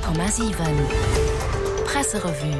100,7 Presserevue.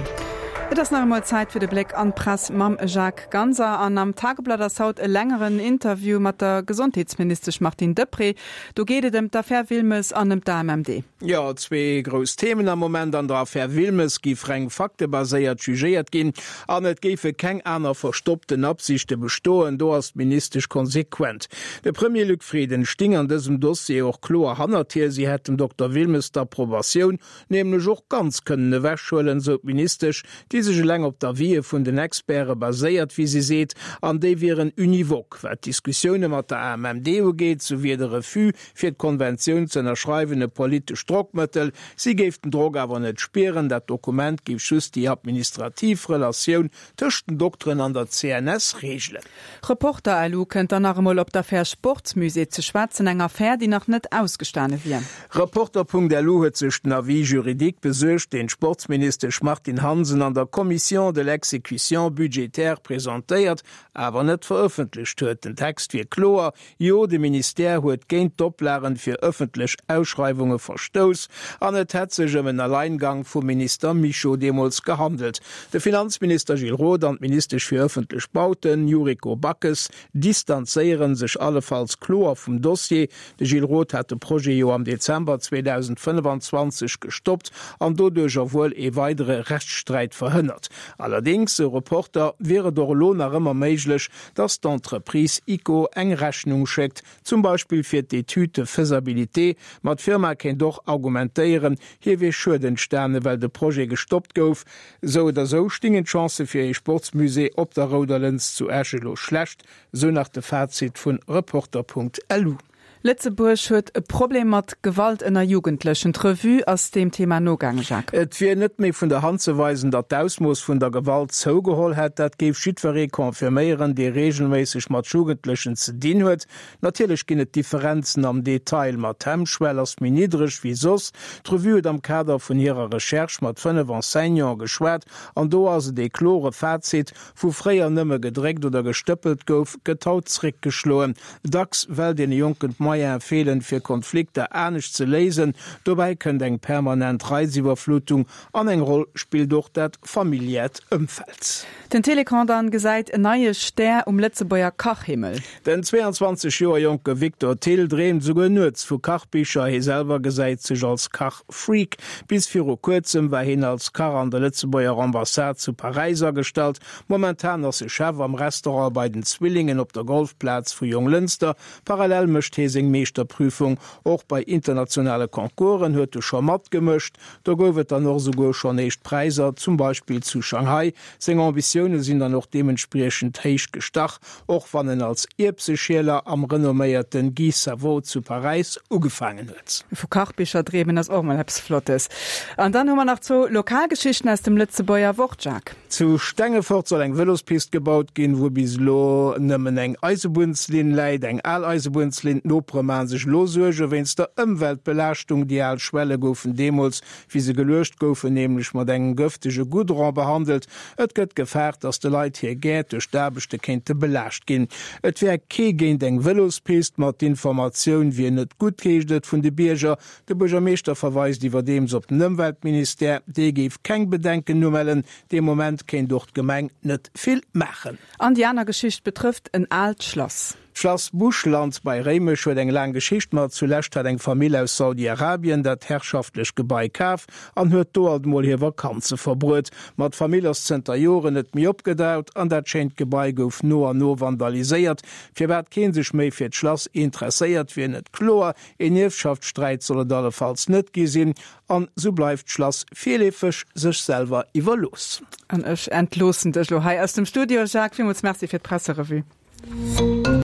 Et ass nach emol Zäit fir de Bléck an d'Press mam Jacques Ganser. An am Tageblatt ass haut e längeren Interview mat der Gesondheetsministesch Martine Deprez. Do geet et ëm d'Affär Wilmes an ëm d'AMMD. Jo, zwee grouss Themen am Moment. An der Affär Wilmes géif reng faktebaséiert jugéiert ginn an et géife keng aner verstoppten Absichte bestoen. Do ass d'Ministesch konsequent. De Premier Luc Frieden sting an dësem Dossier och kloer hannert hir. Si hätt dem Dokter Wilmes d'Approbatioun nämlech och ganz kënnen ewechhuelen, sou d'Ministesch, déi sech eleng op d'Avisë vun den Experte baséiert, wéi si seet, an déi wieren univoque. Wat d'Diskussioune mat der AMMD ugeet, sou wier de Refus, fir d'Konventioun ze ënnerschreiwen, e politescht Drockmëttel. Si géif den Drock awer net spieren, dat Dokument géif just déi administrativ Relatioun tëscht den Dokteren an der CNS reegelen. Reporter-LU kënnt dann nach emol op d'Affär Sportsmusée ze schwätzen, eng Affär, déi nach net ausgestane wier. Reporter.lu huet sech den Avis juridique besuergt, deen d'Sportsministesch Martine Hansen an der Commission de l'exécution budgétaire presentéiert, awer net verëffentlecht huet. Den Text wier kloer, Jo, de Ministère huet géint d'Oplagen fir ëffentlech Ausschreiwunge verstouss an et hätt sech ëm en Alleingang vum Minister Mischo deemools gehandelt. De Finanzminister Gilles Roth an d'Ministesch fir ëffentlech Bauten Yuriko Backes distanzéiere sech allefalls kloer vum Dossier. De Gilles Roth hat de Projet jo am Dezember 2025 gestoppt an doduercher wuel ee weidere Rechtssträit verhënnert. Allerdéngs, sou Reporter, wier et och elo nach ëmmer méiglech, dass d'Entreprise ICO eng Rechnung schéckt, zum Beispill fir d'Étude de faisabilité, ma d'Firma kéint och argumentéieren, hir wier Schued entstane well de Projet gestoppt gouf. Sou oder sou stingen d'Chancë fir ee Sportsmusée op der Rouder Lëns zu Esch elo schlecht, sou nach de Fazit vun Reporter.lu. Lëtzebuerg huet e Problem mat Gewalt ënner Jugendlechen. D'Revue ass deem Thema nogaangen, Jacques. Et wier net méi vun der Hand ze weisen, datt d'Ausmooss vun der Gewalt zougeholl hätt. Dat géif jiddweree confirméieren, dee reegelméisseg mat Jugendlechen ze dinn huet. Natierlech ginn et Differenzen am Detail, ma d'Hemmschwell ass méi niddreg wéi soss. D'Revue huet am Kader vun hirer Recherche mat 5 Enseignante geschwat an do ass et ee klore Fazit, Wou fréier nëmme gedréckt oder gestëppelt gouf, gëtt haut zréckgeschloen. Dacks well deene Jonken d'Moyene feelen, fir Konflikter anescht ze léisen. Dobäi kënnt eng permanent Reiziwwerflutung an eng Roll spillt och dat familiäert Ëmfeld. Den Télécran dann gesäit en neie Stär um Lëtzebuerger Kachhimmel. Den 22 Joer jonke Victor Thill dreemt esouguer nuets vu Kachbicher. Hie selwer gesäit sech als Kach-Freak. Bis viru kuerzem war hien als Kach an der Lëtzebuerger Ambassade zu Paräis agestallt. Momentan ass e Chef am Restaurant bei den Zwillingen op der Golfplaz vu Jonglënster. Parallel mécht hie seng Meeschterprüfung. Och bei internationale Concoursen huet e scho matgemëscht. Do gouf et dann och esouguer schonn éischt Präiser, zum Beispill zu Shanghai. Seng Ambitioune sinn dann och deementspriechend héich gestach. Och wann en als Ierbseschieler am renomméierte Guy Savoy zu Paräis ugefaangen huet. Vu Kachbicher dreemen ass och mol eppes Flottes. An dann hu mer nach zwou Lokalgeschichten aus dem Lëtzebuerger Wort, Jacques. Zu Stengefort soll eng Vëlospist gebaut ginn, wou bis elo nëmmen eng Eisebunnslinn läit. Eng al Eisebunnslinn. D'Nopere maache sech elo Suerge wéinst der Ëmweltbelaaschtung. Déi al Schwelle goufen deemools Wéi se geluecht goufen, nämlech mat engem gëftege Goudron behandelt. Et gëtt gefaart, datt de Leit hir Gäert duerch d'Aarbechte kéinte belaascht ginn. Et wär kee géint eng Vëlospist, ma d'Informatioun wier net gutt, heescht et vun de Bierger. De Buergermeeschter verweist iwwerdeems op den Ëmweltministère, dee géif keng Bedenken umellen. Dee Moment kéint och d'Gemeng net vill maachen. An déi aner Geschicht betrëfft en aalt Schlass. D'Schlass Buschland bei Réimech huet eng laang Geschicht, ma zulescht hat eng Famill aus Saudi-Arabien dat herrschaftlech Gebai kaf an huet do alt mol hir Vakanze verbruet. Ma d'Famill ass zënter Joren net méi opgedaut an dat schéint Gebai gouf no an no vandaliséiert. Firwat kee sech méi fir d'Schlass interesséiert, wier net kloer. Een Ierfschaftssträit soll et allefalls net gi sinn an sou bleift d'Schlass virleefeg sech selwer iwwerlooss. An ech entloossen dech lo hei aus dem Studio, Jacques. Villmools Merci fir d'Presserevue.